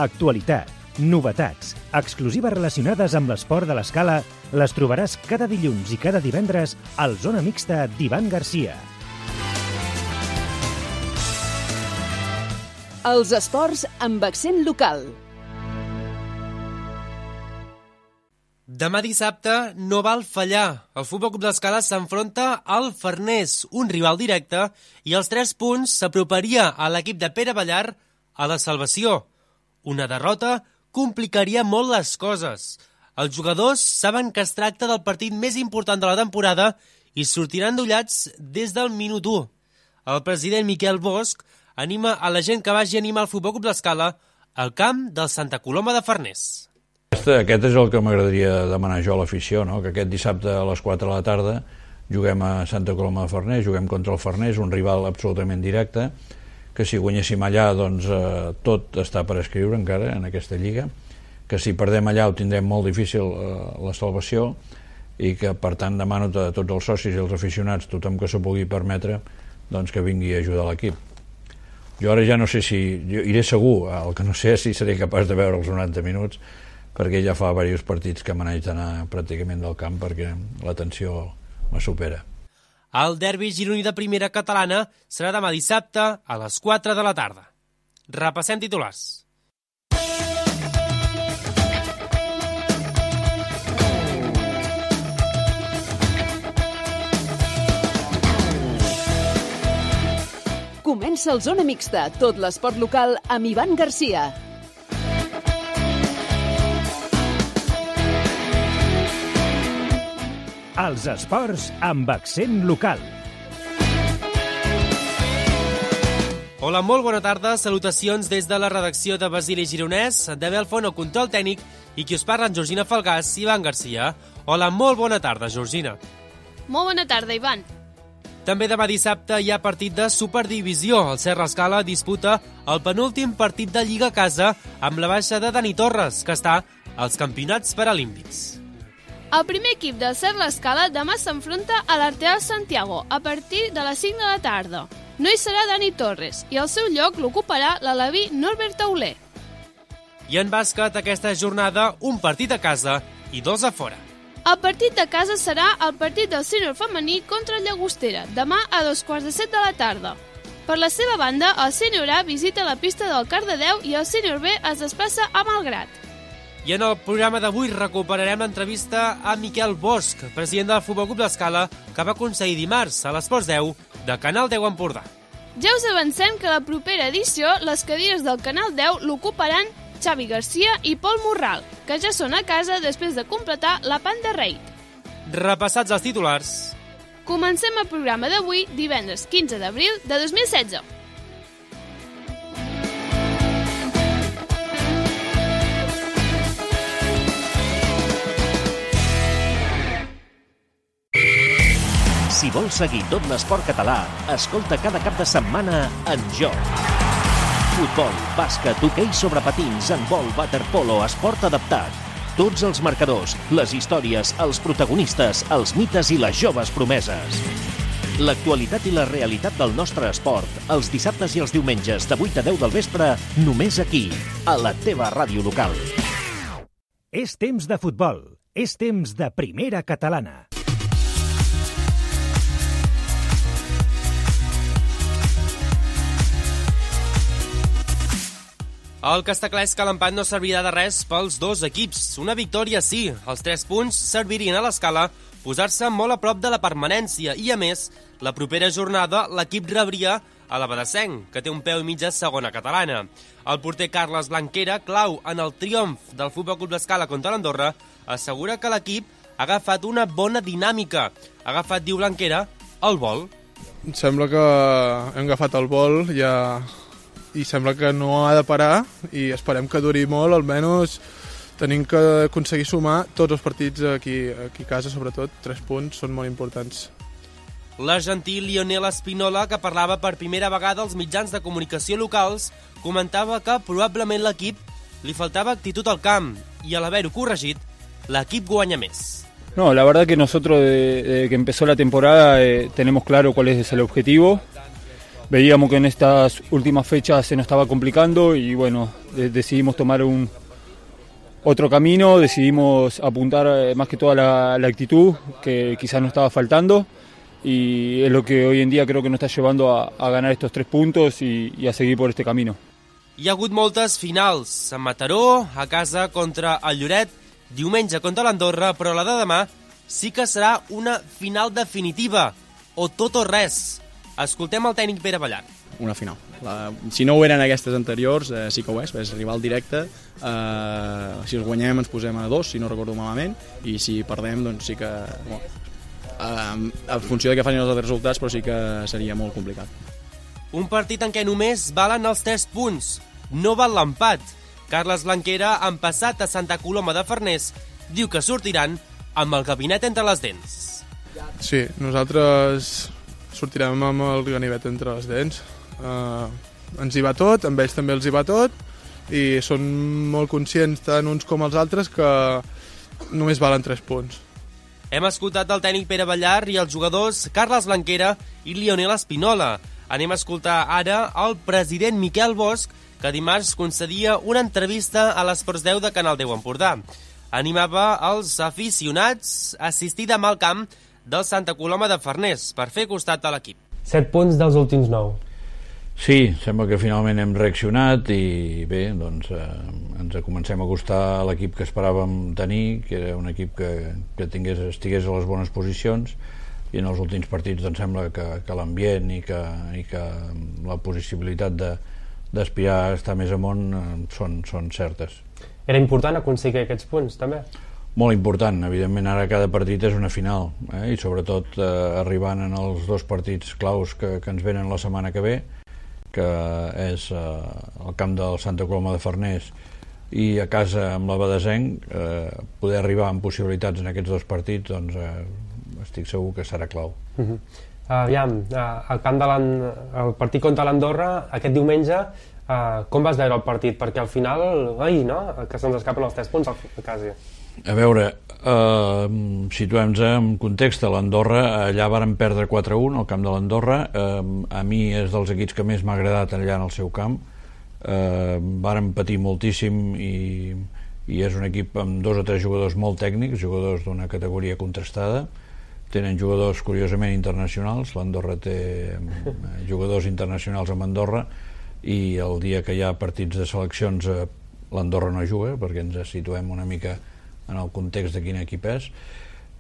Actualitat, novetats, exclusives relacionades amb l'esport de l'escala les trobaràs cada dilluns i cada divendres al Zona Mixta d'Ivan Garcia. Els esports amb accent local. Demà dissabte no val fallar. El Futbol Club d'Escala s'enfronta al Farners, un rival directe, i els 3 punts s'aproparia a l'equip de Pere Ballar a la salvació. Una derrota complicaria molt les coses. Els jugadors saben que es tracta del partit més important de la temporada i sortiran dollats des del minut 1. El president Miquel Bosch anima a la gent que vagi a animar el Futbol Club d'Escala al camp del Santa Coloma de Farners. Aquest és el que m'agradaria demanar jo a l'afició, no? Que aquest dissabte a les 4 de la tarda juguem a Santa Coloma de Farners, juguem contra el Farners, un rival absolutament directe, que si guanyéssim allà doncs tot està per escriure encara en aquesta lliga, que si perdem allà ho tindrem molt difícil la salvació, i que per tant demano a tots els socis i els aficionats, tothom que s'ho pugui permetre, doncs que vingui a ajudar l'equip. Jo ara ja no sé si... Jo iré segur, el que no sé és si seré capaç de veure els 90 minuts, perquè ja fa diversos partits que me n'haig d'anar pràcticament del camp perquè la tensió me supera. El derbi gironí de primera catalana serà demà dissabte a les 4 de la tarda. Repassem titulars. Comença el Zona Mixta, tot l'esport local amb Ivan Garcia. Els esports amb accent local. Hola, molt bona tarda. Salutacions des de la redacció de Basili Gironès, de Belfont, el control tècnic, i qui us parla en Georgina Falgàs i Ivan Garcia. Hola, molt bona tarda, Georgina. Molt bona tarda, Ivan. També demà dissabte hi ha partit de Superdivisió. El Serra Escala disputa el penúltim partit de Lliga a casa amb la baixa de Dani Torres, que està als campionats paralímpics. El primer equip del Serra Escala demà s'enfronta a l'Arteal Santiago a partir de les 5 de la tarda. No hi serà Dani Torres i el seu lloc l'ocuparà l'aleví Norbert Tauler. I en bàsquet, aquesta jornada, un partit a casa i 2 a fora. El partit de casa serà el partit del sènior femení contra el Llagostera, demà a 7:15 de la tarda. Per la seva banda, el sènior A visita la pista del Cardedeu i el sènior B es desplaça a Malgrat. I en el programa d'avui recuperarem l'entrevista a Miquel Bosch, president del Futbol Club d'Escala, que va aconseguir dimarts a l'Esports 10 de Canal 10 Empordà. Ja us avancem que a la propera edició les cadires del Canal 10 l'ocuparan Xavi Garcia i Pol Morral, que ja són a casa després de completar la Panda Raid. Repassats els titulars. Comencem el programa d'avui, divendres 15 d'abril de 2016. Si vols seguir tot l'esport català, escolta cada cap de setmana En Joc. Futbol, bàsquet, hoquei sobre patins, handbol, waterpolo, esport adaptat. Tots els marcadors, les històries, els protagonistes, els mites i les joves promeses. L'actualitat i la realitat del nostre esport, els dissabtes i els diumenges de 8 a 10 del vespre, només aquí, a la teva ràdio local. És temps de futbol. És temps de primera catalana. El que està clar és que l'empat no servirà de res pels dos equips. Una victòria sí, els 3 punts servirien a l'Escala posar-se molt a prop de la permanència i, a més, la propera jornada l'equip rebria a la Badesenc, que té un peu i mig a segona catalana. El porter Carles Blanquera, clau en el triomf del Futbol Club d'Escala contra l'Andorra, assegura que l'equip ha agafat una bona dinàmica. Ha agafat, diu Blanquera, el vol. Em sembla que hem agafat el vol ja... i sembla que no ha de parar i esperem que duri molt, almenys tenim que aconseguir sumar tots els partits aquí a casa, sobretot 3 punts són molt importants. L'argentí Lionel Espinola, que parlava per primera vegada als mitjans de comunicació locals, comentava que probablement l'equip li faltava actitud al camp i al haver-ho corregit, l'equip guanya més. No, la verdad que nosotros desde que empezó la temporada tenemos claro cuál es el objetivo. veíamos que en estas últimas fechas se nos estaba complicando y bueno, decidimos tomar otro camino, decidimos apuntar más que toda la actitud que quizás nos estaba faltando y es lo que hoy en día creo que nos está llevando a ganar estos 3 puntos y a seguir por este camino. Hi ha hagut moltes finals, a Mataró, a casa contra el Lloret, diumenge contra l'Andorra, però la de demà sí que serà una final definitiva, o tot o res. Escoltem el tècnic Pere Ballar. Una final. Si no ho eren aquestes anteriors, sí que ho és rival directe. Si els guanyem ens posem a 2, si no recordo malament, i si perdem, doncs sí que... en funció de què facin els altres resultats, però sí que seria molt complicat. Un partit en què només valen els 3 punts. No val l'empat. Carles Blanquera, empassat a Santa Coloma de Farners, diu que sortiran amb el gabinet entre les dents. Sí, nosaltres sortirem amb el ganivet entre les dents. Ens hi va tot, amb ells també els hi va tot, i són molt conscients tant uns com els altres que només valen 3 punts. Hem escoltat el tècnic Pere Ballar i els jugadors Carles Blanquera i Lionel Espinola. Anem a escoltar ara el president Miquel Bosch, que dimarts concedia una entrevista a l'Esports 10 de Canal 10 Empordà. Animava els aficionats a assistir demà al camp del Santa Coloma de Farners per fer costat a l'equip. 7 punts dels últims 9. Sí, sembla que finalment hem reaccionat i bé, doncs ens comencem a acostar a l'equip que esperàvem tenir, que era un equip que estigués a les bones posicions, i en els últims partits doncs sembla que l'ambient i que la possibilitat d'aspirar a estar més amunt són certes. Era important aconseguir aquests punts, també? Molt important, evidentment ara cada partit és una final, i sobretot arribant en els 2 partits claus que ens venen la setmana que ve, que és el camp del Santa Coloma de Farners i a casa amb la Badesenc, poder arribar amb possibilitats en aquests 2 partits, doncs estic segur que serà clau. Aviam, el partit contra l'Andorra aquest diumenge, com vas veure el partit? Perquè al final, que se'ns escapen els 3 punts quasi. A veure, situem-nos en context. A l'Andorra, allà varen perdre 4-1 al camp de l'Andorra. A mi és dels equips que més m'ha agradat allà en el seu camp. Varen patir moltíssim i és un equip amb 2 o 3 jugadors molt tècnics, jugadors d'una categoria contrastada. Tenen jugadors curiosament internacionals. L'Andorra té jugadors internacionals amb Andorra i el dia que hi ha partits de seleccions l'Andorra no juga, perquè ens situem una mica en el context de quin equip és,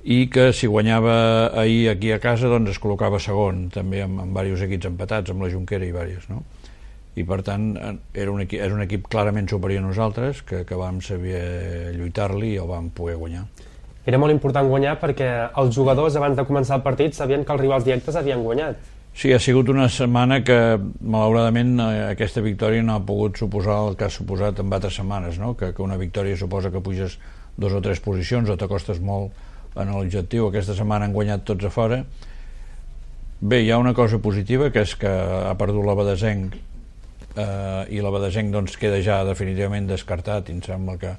i que si guanyava ahir aquí a casa doncs es col·locava segon, també amb diversos equips empatats, amb la Jonquera i diversos, no? I per tant és un equip clarament superior a nosaltres, que vam saber lluitar-li i el vam poder guanyar. Era molt important guanyar perquè els jugadors abans de començar el partit sabien que els rivals directes havien guanyat. Sí, ha sigut una setmana que malauradament aquesta victòria no ha pogut suposar el que ha suposat en altres setmanes, no? Que una victòria suposa que puges 2 o 3 posicions o t'acostes molt en l'objectiu. Aquesta setmana han guanyat tots a fora. Bé, hi ha una cosa positiva, que és que ha perdut la Badesenc i la Badesenc doncs queda ja definitivament descartat i em sembla que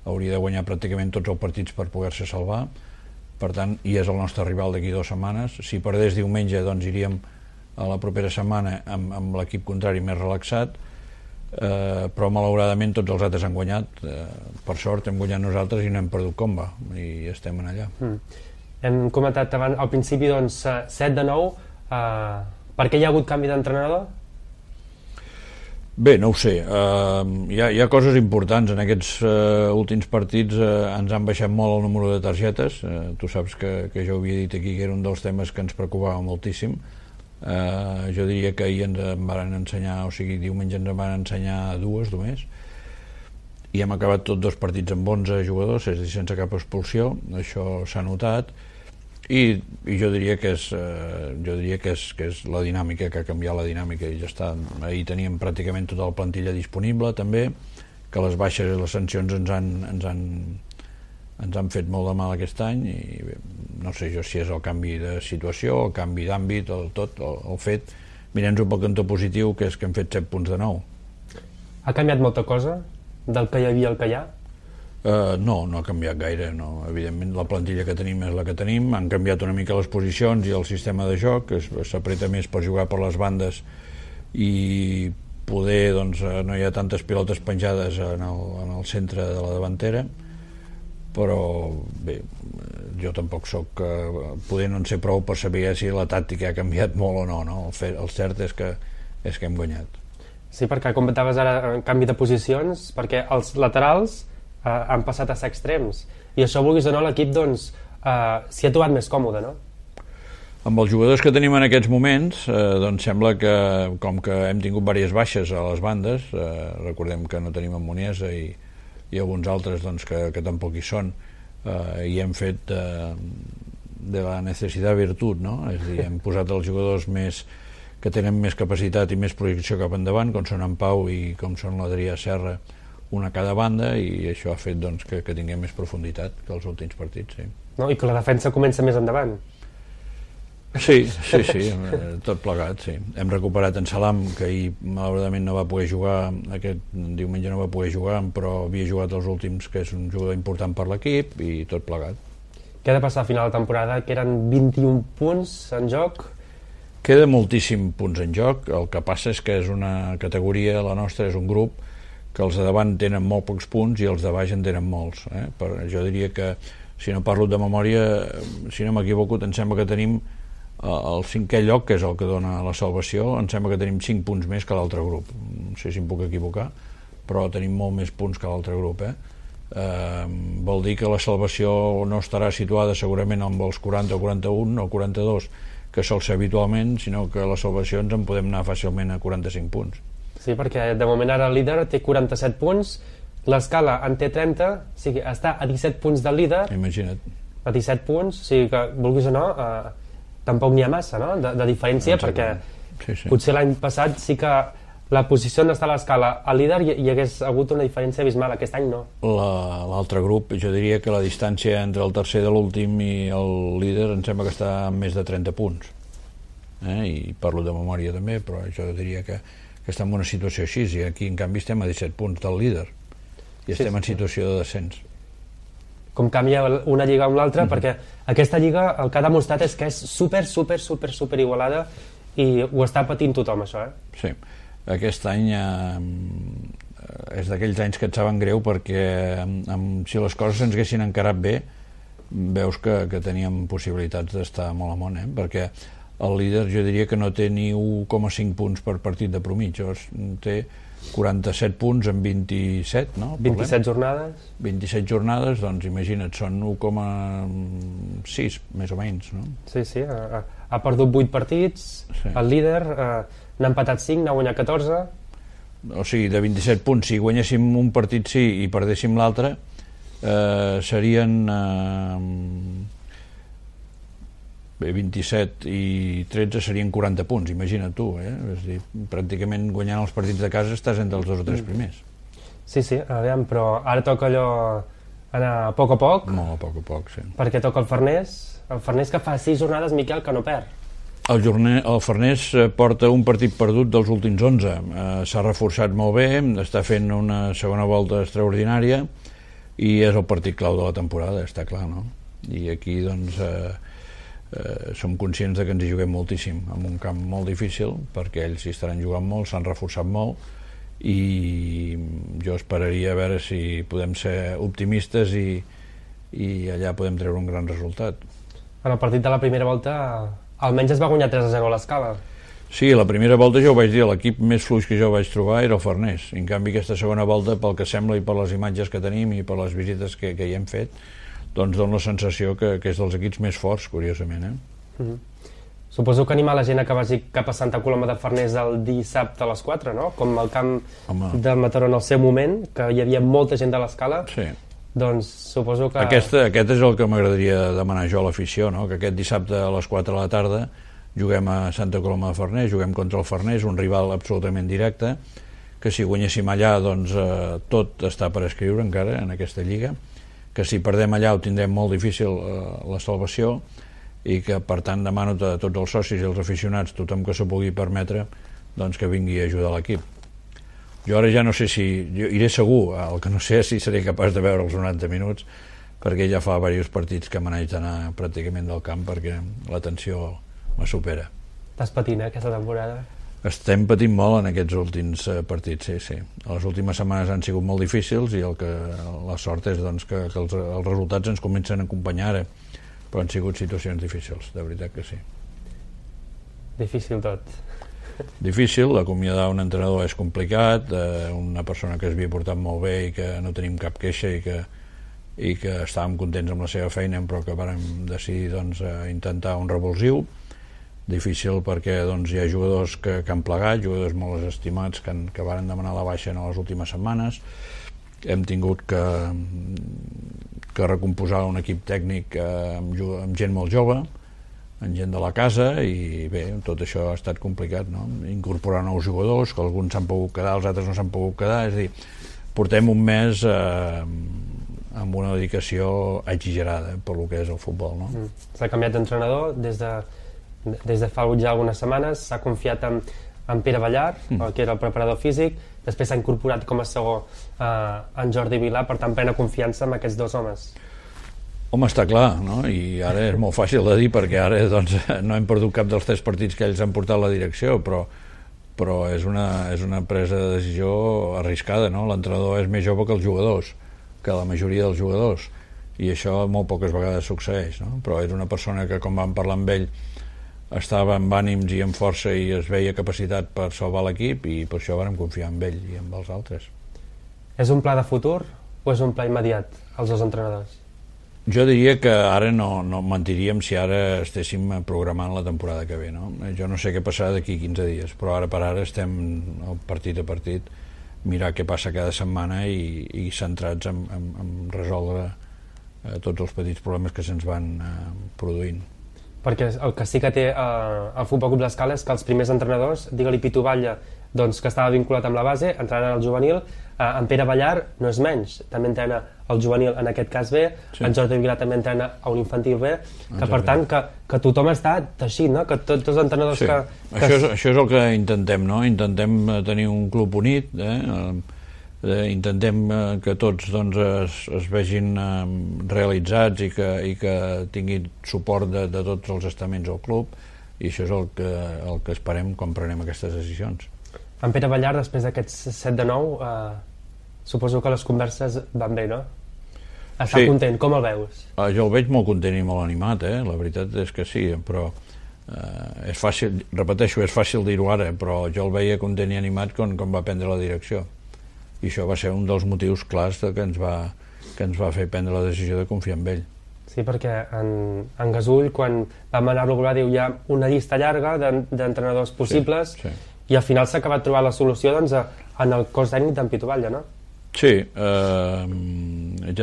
hauria de guanyar pràcticament tots els partits per poder-se salvar. Per tant, i és el nostre rival d'aquí 2 setmanes. Si perdés diumenge, doncs iríem a la propera setmana amb l'equip contrari més relaxat, però malauradament tots els altres han guanyat. Per sort hem guanyat nosaltres i no hem perdut comba i estem en allà. Hem comentat abans, al principi, doncs, 7 de 9. Per què hi ha hagut canvi d'entrenador? Bé, no ho sé. Hi ha coses importants. En aquests últims partits ens han baixat molt el número de targetes. Tu saps que jo havia dit aquí que era un dels temes que ens preocupava moltíssim. Jo diria que ahir ens en van ensenyar, o sigui, diumenge ens en van ensenyar 2 només, i hem acabat tots 2 partits amb 11 jugadors, és a dir, sense cap expulsió. Això s'ha notat. I jo diria que és la dinàmica, que ha canviat la dinàmica i ja està. Ahir teníem pràcticament tota la plantilla disponible també, que les baixes i les sancions ens han fet molt de mal aquest any i bé, no sé jo si és el canvi de situació, el canvi d'àmbit, el fet, mirem-nos pel cantó positiu, que és que hem fet 7 punts de 9. Ha canviat molta cosa del que hi havia al que hi ha? No ha canviat gaire, no. Evidentment la plantilla que tenim és la que tenim, han canviat una mica les posicions i el sistema de joc, que s'apreta més per jugar per les bandes i poder doncs, no hi ha tantes pilotes penjades en el centre de la davantera, però bé, jo tampoc soc poder no en sé prou per saber si la tàctica ha canviat molt o no. El cert és que hem guanyat. Sí, perquè comentaves ara en canvi de posicions, perquè els laterals han passat a ser extrems, i això, vulguis o no, l'equip doncs s'hi ha trobat més còmode, no? Amb els jugadors que tenim en aquests moments, doncs sembla que, com que hem tingut diverses baixes a les bandes, recordem que no tenim en Muniesa i alguns altres doncs, que tampoc hi són, i hem fet de la necessitat virtut, no? És a dir, hem posat els jugadors que tenen més capacitat i més projecció cap endavant, com són en Pau i com són l'Adrià Serra, una a cada banda, i això ha fet doncs, que tinguem més profunditat que els últims partits. Sí. No? I que la defensa comença més endavant. Sí, tot plegat, sí. Hem recuperat en Salam, que ahir malauradament no va poder jugar, aquest diumenge no va poder jugar, però havia jugat els últims, que és un jugador important per l'equip, i tot plegat. Què ha de passar a final de temporada? Que eren 21 punts en joc? Queda moltíssim punts en joc, el que passa és que és una categoria, la nostra és un grup, que els de davant tenen molt pocs punts i els de baix en tenen molts. Jo diria que, si no parlo de memòria, si no m'equivoco, em sembla que tenim el 5è lloc, que és el que dona la salvació, em sembla que tenim 5 punts més que l'altre grup. No sé si em puc equivocar, però tenim molt més punts que l'altre grup. Vol dir que la salvació no estarà situada segurament amb els 40 o 41 o 42, que sol ser habitualment, sinó que la salvació ens en podem anar fàcilment a 45 punts. Sí, perquè de moment ara el líder té 47 punts, l'Escala en té 30, o sigui, està a 17 punts del líder. Imagina't. A 17 punts, o sigui que, vulguis o no, tampoc n'hi ha massa, no?, de diferència, perquè potser l'any passat sí que la posició on està l'Escala al líder hi hagués hagut una diferència abismal, aquest any no. L'altre grup, jo diria que la distància entre el tercer de l'últim i el líder em sembla que està a més de 30 punts, i parlo de memòria també, però jo diria que estem en una situació així, i aquí en canvi estem a 17 punts del líder i estem en situació de descens. Com canvia una lliga amb l'altra, perquè aquesta lliga el que ha demostrat és que és super igualada, i ho està patint tothom, això. Sí, aquest any és d'aquells anys que et saben greu, perquè si les coses ens haguessin encarat bé, veus que teníem possibilitats d'estar molt amunt, perquè el líder jo diria que no té ni 1,5 punts per partit de promig, té 47 punts en 27, no? 27 jornades? 27 jornades, doncs imagina't, són 1,6 més o menys, no? Sí, ha perdut 8 partits, el líder n'ha empatat 5, n'ha guanyat 14. O sigui, de 27 punts, si guanyéssim un partit sí i perdéssim l'altre, serien 27 i 13 serien 40 punts, imagina't tu, és a dir, pràcticament guanyant els partits de casa estàs entre els 2 o 3 primers. Sí, aviam, però ara toca allò anar a poc a poc. Molt a poc, sí. Perquè toca el Farners que fa 6 jornades, Miquel, que no perd. El Farners porta un partit perdut dels últims 11, s'ha reforçat molt bé, està fent una segona volta extraordinària i és el partit clau de la temporada, està clar, no? I aquí doncs som conscients que ens hi juguem moltíssim, en un camp molt difícil, perquè ells hi estaran jugant molt, s'han reforçat molt, i jo esperaria a veure si podem ser optimistes i allà podem treure un gran resultat. En el partit de la primera volta almenys es va guanyar 3-0 a l'Escala. Sí, la primera volta jo ho vaig dir, l'equip més fluix que jo vaig trobar era el Farners. En canvi aquesta segona volta, pel que sembla i per les imatges que tenim i per les visites que hi hem fet, doncs dona la sensació que és dels equips més forts, curiosament. Suposo que anima la gent que vagi cap a Santa Coloma de Farners el dissabte a les 4, no? Com el camp de Mataró en el seu moment, que hi havia molta gent de l'Escala. Sí. Doncs suposo que... Aquest és el que m'agradaria demanar jo a l'afició, no? Que aquest dissabte a les 4 de la tarda juguem a Santa Coloma de Farners, juguem contra el Farners, un rival absolutament directe, que si guanyéssim allà doncs tot està per escriure encara en aquesta lliga, que si perdem allà ho tindrem molt difícil la salvació, i que per tant demano a tots els socis i els aficionats, tothom que s'ho pugui permetre, doncs que vingui a ajudar l'equip. Jo ara ja no sé si... Jo iré segur, el que no sé és si seré capaç de veure els 90 minuts, perquè ja fa diversos partits que me n'haig d'anar pràcticament del camp perquè la tensió me supera. Estàs patint, aquesta temporada? Estem patint molt en aquests últims partits, sí. Les últimes setmanes han sigut molt difícils i la sort és doncs, que els resultats ens comencen a acompanyar ara, però han sigut situacions difícils, de veritat que sí. Difícil tot. Difícil, acomiadar un entrenador és complicat, una persona que es havia portat molt bé i que no tenim cap queixa i que estàvem contents amb la seva feina, però que vàrem decidir doncs, intentar un revulsiu. Difícil perquè doncs, hi ha jugadors que han plegat, jugadors molt estimats que varen demanar la baixa en les últimes setmanes. Hem tingut que recomposar un equip tècnic amb gent molt jove, amb gent de la casa, i bé, tot això ha estat complicat, no? Incorporar nous jugadors, que alguns s'han pogut quedar, els altres no s'han pogut quedar, és a dir, portem un mes amb una dedicació exagerada per lo que és el futbol, no? S'ha canviat d'entrenador des de fa ja algunes setmanes, s'ha confiat en Pere Ballar, que era el preparador físic, després s'ha incorporat com a segó en Jordi Vilà, per tant plena confiança en aquests dos homes. Home, està clar, no? I ara és molt fàcil de dir perquè ara doncs, no hem perdut cap dels 3 partits que ells han portat la direcció, però és una presa de decisió arriscada, no? L'entrenador és més jove que els jugadors, que la majoria dels jugadors, i això molt poques vegades succeeix, no? Però és una persona que, com vam parlar amb ell, estava amb ànims i amb força i es veia capacitat per salvar l'equip, i per això vam confiar en ell i amb els altres. És un pla de futur o és un pla immediat, els dos entrenadors? Jo diria que ara no mentiríem si ara estéssim programant la temporada que ve, no? Jo no sé què passarà d'aquí 15 dies, però ara per ara estem partit a partit, mirar què passa cada setmana i centrats en resoldre tots els petits problemes que se'ns van produint. Perquè el que sí que té el Futbol Club l'Escala és que els primers entrenadors, digue-li Pitu Batlle, doncs, que estava vinculat amb la base, entraran al juvenil, en Pere Ballar no és menys, també entrena el juvenil, en aquest cas B, en Jordi Vilà també entrena a un infantil B, que per tant que tothom està teixit, no? Que tots els entrenadors que... Això és el que intentem, no? Intentem tenir un club unit, intentem que tots doncs, es vegin realitzats i que tinguin suport de tots els estaments al club, i això és el que esperem quan prenem aquestes decisions. En Pere Ballar, després d'aquests 7 de 9, suposo que les converses van bé, no? Està content, com el veus? Jo el veig molt content i molt animat, la veritat és que sí, però és fàcil, repeteixo, és fàcil dir-ho ara, però jo el veia content i animat quan va prendre la direcció. I això va ser un dels motius clars que ens va fer prendre la decisió de confiar en ell. Sí, perquè en Gasull, quan vam anar-lo a veure, diu hi ha una llista llarga d'entrenadors possibles, i al final s'ha acabat trobant la solució doncs, en el cos tècnic d'en Pitu Batlle, no? Sí, ja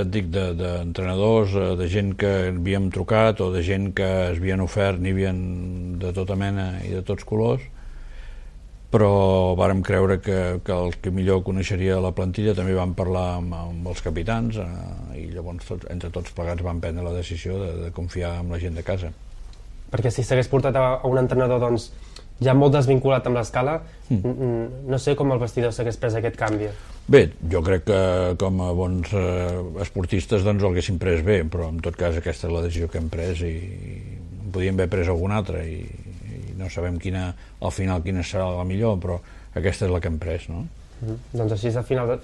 et dic, d'entrenadors, de gent que havíem trucat o de gent que es havien ofert, n'hi havia de tota mena i de tots colors, però vàrem creure que el que millor coneixeria la plantilla. També vam parlar amb els capitans i llavors entre tots plegats vam prendre la decisió de confiar en la gent de casa. Perquè si s'hagués portat a un entrenador doncs, ja molt desvinculat amb l'Escala, no sé com el vestidor s'hagués pres aquest canvi. Bé, jo crec que com a bons esportistes doncs el haguéssim pres bé, però en tot cas aquesta és la decisió que hem pres i podíem haver pres alguna altra i no sabem al final quina serà la millor, però aquesta és la que hem pres, no? Doncs així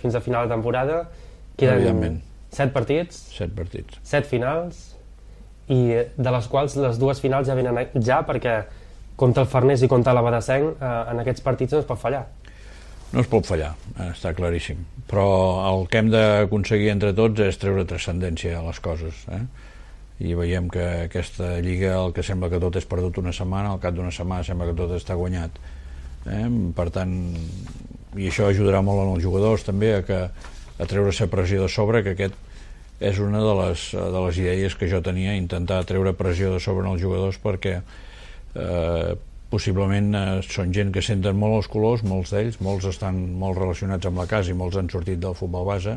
fins a final de temporada queden 7 partits, 7 finals, i de les quals les 2 finals ja venen perquè contra el Farners i contra l'Abadassenc en aquests partits no es pot fallar. No es pot fallar, està claríssim, però el que hem d'aconseguir entre tots és treure transcendència a les coses, i veiem que aquesta lliga el que sembla que tot és perdut una setmana, al cap d'una setmana sembla que tot està guanyat, per tant, i això ajudarà molt als jugadors també a treure-se pressió de sobre, que aquest és una de les idees que jo tenia, intentar treure pressió de sobre als jugadors, perquè possiblement són gent que senten molt els colors, molts d'ells, molts estan molt relacionats amb la casa i molts han sortit del futbol base,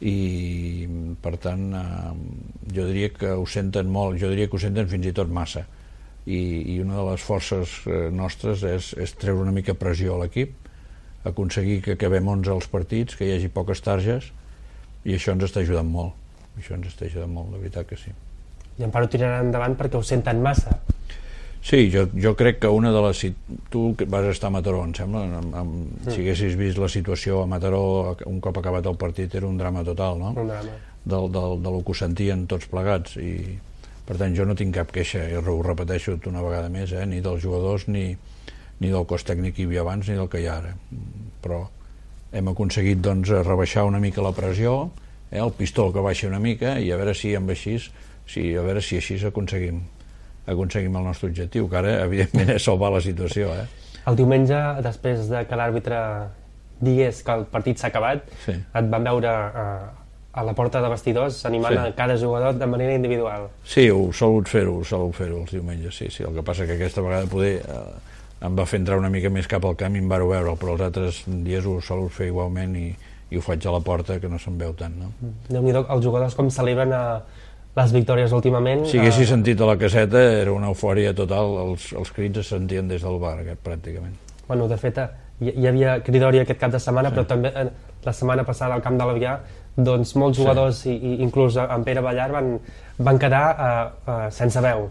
i per tant jo diria que ho senten molt, jo diria que ho senten fins i tot massa, i una de les forces nostres és treure una mica pressió a l'equip, aconseguir que acabem 11 als partits, que hi hagi poques targes, i això ens està ajudant molt, de veritat que sí. I Amparo tirarà endavant perquè ho senten massa. Sí, jo crec que una de les... Tu vas estar a Mataró, em sembla, si haguessis vist la situació a Mataró un cop acabat el partit era un drama total, no? Un drama. Del que ho sentien tots plegats, i per tant jo no tinc cap queixa, i ho repeteixo una vegada més, ni dels jugadors ni del cos tècnic que hi havia abans ni del que hi ha ara, però hem aconseguit doncs rebaixar una mica la pressió, el pistó que baixa una mica, i a veure si així aconseguim el nostre objectiu, que ara evidentment és salvar la situació. El diumenge, després de que l'àrbitre digués que el partit s'ha acabat, et van veure a la porta de vestidors animant a cada jugador de manera individual. Sí, ho solut fer-ho els diumenges, sí. El que passa que aquesta vegada poder em va fer entrar una mica més cap al camp i em vau veure, però els altres dies ho solut fer igualment i ho faig a la porta, que no se'n veu tant, no? Déu-n'hi-do, els jugadors com celebren les victòries últimament... Si haguessis sentit a la caseta era una eufòria total, els crits es sentien des del bar, pràcticament. Bueno, de fet, hi havia cridòria aquest cap de setmana, però també la setmana passada al camp de l'Avià, doncs molts jugadors, i inclús en Pere Ballar, van quedar sense veu,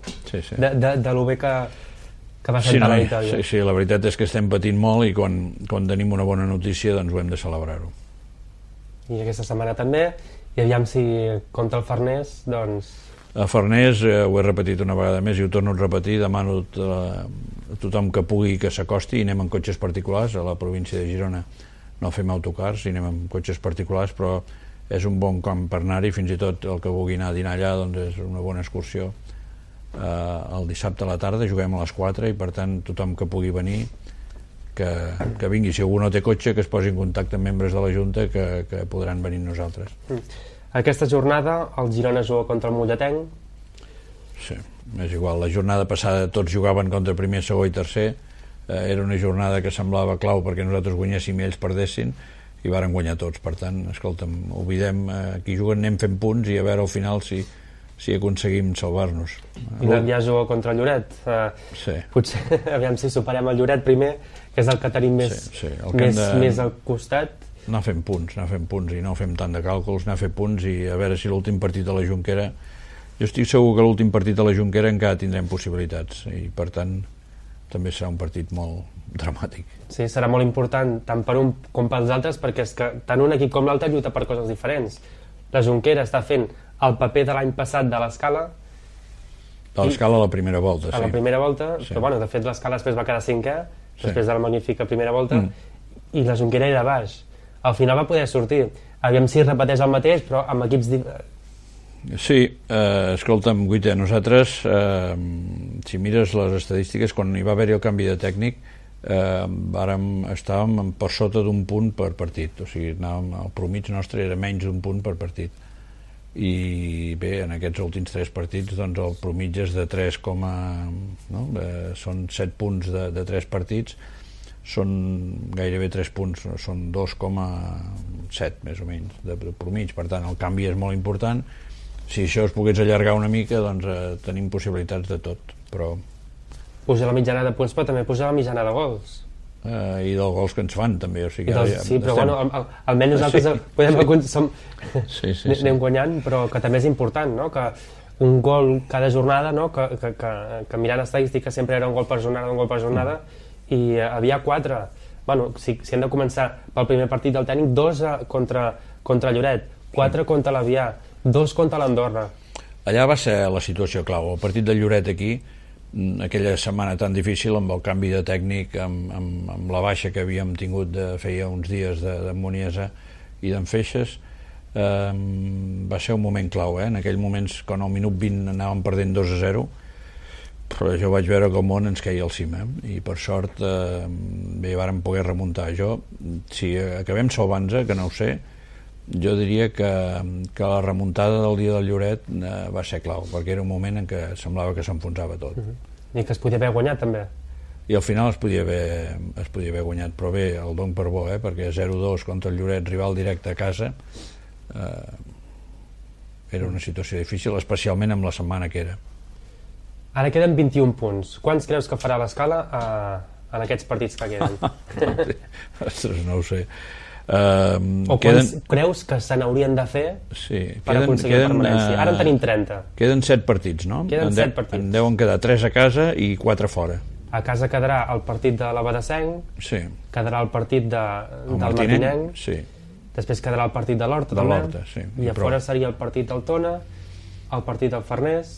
de lo bé que va sentar la victòria. Sí, la veritat és que estem patint molt i quan tenim una bona notícia doncs ho hem de celebrar-ho. I aquesta setmana també, i aviam si contra el Farners, doncs... A Farners, ho he repetit una vegada més i ho torno a repetir, demano a tothom que pugui que s'acosti, i anem en cotxes particulars, a la província de Girona no fem autocars, i anem en cotxes particulars, però és un bon camp per anar-hi, fins i tot el que vulgui anar a dinar allà doncs és una bona excursió. El dissabte a la tarda juguem a les 4 i per tant tothom que pugui venir que vingui, si algú no té cotxe que es posi en contacte amb membres de la Junta que podran venir amb nosaltres. Aquesta jornada el Girona juga contra el Molletenc. Sí, és igual, la jornada passada tots jugaven contra primer, segon i tercer, era una jornada que semblava clau perquè nosaltres guanyéssim i ells perdessin, i varen guanyar tots, per tant, escolta'm, oblidem, aquí juguen, anem fent punts i a veure al final si aconseguim salvar-nos. I l'Avià juga contra el Lloret. Potser, aviam si superem el Lloret primer, que és el que tenim més al costat. Anar fent punts i no fem tant de càlculs, anar a fer punts i a veure si l'últim partit de la Jonquera, jo estic segur que l'últim partit de la Jonquera encara tindrem possibilitats i per tant també serà un partit molt dramàtic. Sí, serà molt important tant per un com pels altres, perquè és que tant un equip com l'altre lluita per coses diferents. La Jonquera està fent el paper de l'any passat de l'Escala. De l'Escala a la primera volta, sí. A la primera volta, però bueno, de fet l'Escala després va quedar 5è, després de la magnífica primera volta, i la Jonquera era baix. Al final va poder sortir. Aviam si repeteix el mateix, però amb equips... Sí, escolta'm, Guita, nosaltres, si mires les estadístiques, quan hi va haver-hi el canvi de tècnic, estàvem per sota d'un punt per partit, o sigui, el promig nostre era menys d'un punt per partit. I bé, en aquests últims 3 partits doncs el promig és de 3, són 7 punts de 3 partits, són gairebé 3 punts, són 2,7 més o menys de promig, per tant el canvi és molt important. Si això es pogués allargar una mica doncs tenim possibilitats de tot, però... Puja la mitjana de punts, però també puja la mitjana de gols. I dels gols que ens fan també, o sigui, sí, però bueno, almenys nosaltres anem guanyant, però que també és important, no? Que un gol cada jornada, no? Que mirant estadístiques sempre era un gol per jornada, i havia 4. Bueno, si hem de començar pel primer partit del tècnic, 2 contra Lloret, 4 contra l'Avià, 2 contra l'Andorra. Allà va ser la situació clau, el partit del Lloret aquí, aquella setmana tan difícil amb el canvi de tècnic, amb la baixa que havíem tingut feia uns dies d'en Muniesa i d'en Feixes, va ser un moment clau, en aquell moments quan al minut 20 anàvem perdent 2-0, però jo vaig veure que el món ens queia al cim, i per sort bé, vàrem poder remuntar. Si acabem salvant-nos, que no ho sé, jo diria que la remuntada del dia del Lloret va ser clau, perquè era un moment en què semblava que s'enfonsava tot. I que es podia haver guanyat també. I al final es podia haver guanyat, però bé, el don per bo, perquè 0-2 contra el Lloret, rival directe a casa, era una situació difícil, especialment amb la setmana que era. Ara queden 21 punts. Quants creus que farà l'Escala en aquests partits que queden? Ostres, no ho sé. O quants creus que se n'haurien de fer per aconseguir la permanència? Ara en tenim 30. Queden 7 partits, no? Queden 7 partits. En deuen quedar 3 a casa i 4 fora. A casa quedarà el partit de l'Abadesenc, quedarà el partit del Martinenc, després quedarà el partit de l'Horta també, i a fora seria el partit del Tona, el partit del Farners,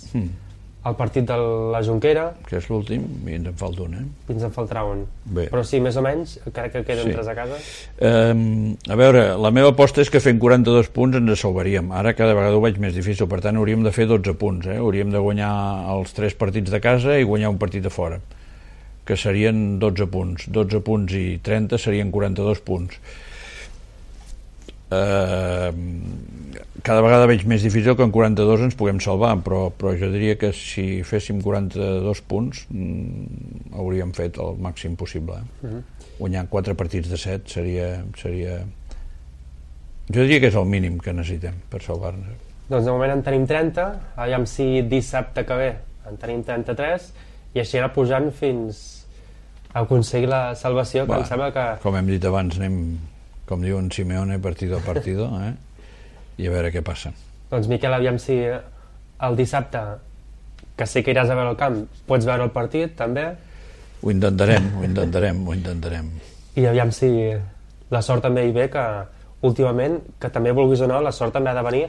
el partit de la Jonquera, que és l'últim, i ens en falta un, i ens en faltarà un. Però sí, més o menys, crec que queden 3 a casa. A veure, la meva aposta és que fent 42 punts ens salvaríem. Ara cada vegada ho veig més difícil, per tant hauríem de fer 12 punts. Hauríem de guanyar els 3 partits de casa i guanyar un partit de fora, que serien 12 punts. 12 punts i 30 serien 42 punts. Cada vegada veig més difícil que en 42 ens puguem salvar, però jo diria que si féssim 42 punts hauríem fet el màxim possible. Guanyar 4 partits de 7 seria... Jo diria que és el mínim que necessitem per salvar-nos. Doncs de moment en tenim 30, aviam si dissabte que ve en tenim 33, i així anar pujant fins a aconseguir la salvació, que em sembla que... Com hem dit abans, anem, com diuen Simeone, partido a partido, i a veure què passa. Doncs Miquel, aviam si el dissabte, que sé que iràs a veure el camp, pots veure el partit també. Ho intentarem. I aviam si la sort també hi ve, que últimament, que també vulguis o no, la sort també ha de venir.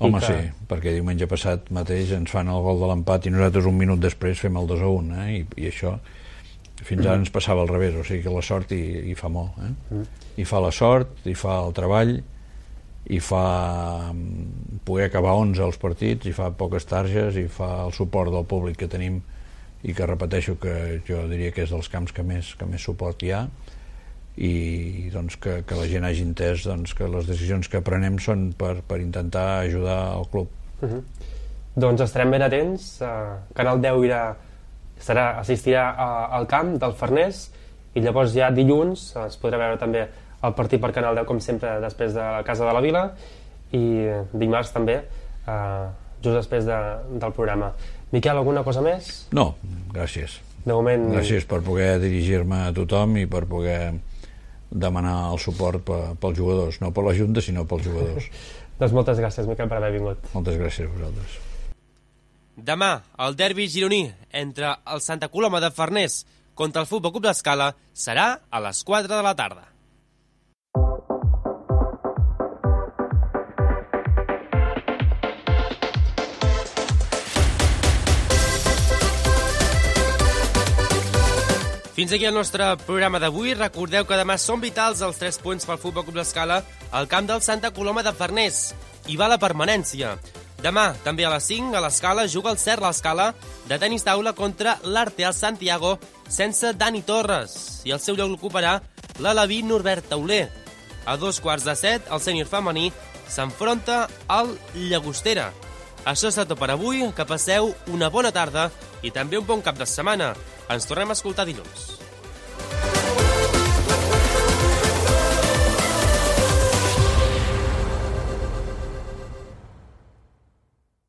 Home, sí, perquè diumenge passat mateix ens fan el gol de l'empat i nosaltres un minut després fem el 2-1, i això fins ara ens passava al revés, o sigui que la sort hi fa molt, hi fa la sort, hi fa el treball, hi fa poder acabar 11 als partits, hi fa poques targes, hi fa el suport del públic que tenim, i que repeteixo que jo diria que és dels camps que més suport hi ha, i doncs que la gent hagi entès que les decisions que prenem són per intentar ajudar el club. Doncs estarem ben atents. Canal 10 assistirà al camp del Farners, i llavors ja dilluns es podrà veure també el partit per Canal 10, com sempre, després de la Casa de la Vila, i dimarts també, just després del programa. Miquel, alguna cosa més? No, gràcies. De moment... Gràcies per poder dirigir-me a tothom i per poder demanar el suport pels jugadors, no per la Junta, sinó pels jugadors. Doncs moltes gràcies, Miquel, per haver vingut. Moltes gràcies a vosaltres. Demà, el derbi gironí entre el Santa Coloma de Farners contra el Futbol Club d'Escala serà a les 4 de la tarda. Fins aquí el nostre programa d'avui. Recordeu que demà són vitals els 3 punts pel Futbol Club d'Escala al camp del Santa Coloma de Farners. Hi va la permanència. Demà, també a les 5, a l'Escala, juga el Cert l'Escala de tenis taula contra l'Arteal Santiago sense Dani Torres. I el seu lloc l'ocuparà l'Alaví Norbert Tauler. A 2:15, el sènior femení s'enfronta al Llagostera. Això és tot per avui. Que passeu una bona tarda i també un bon cap de setmana. Ens tornem a escoltar dilluns.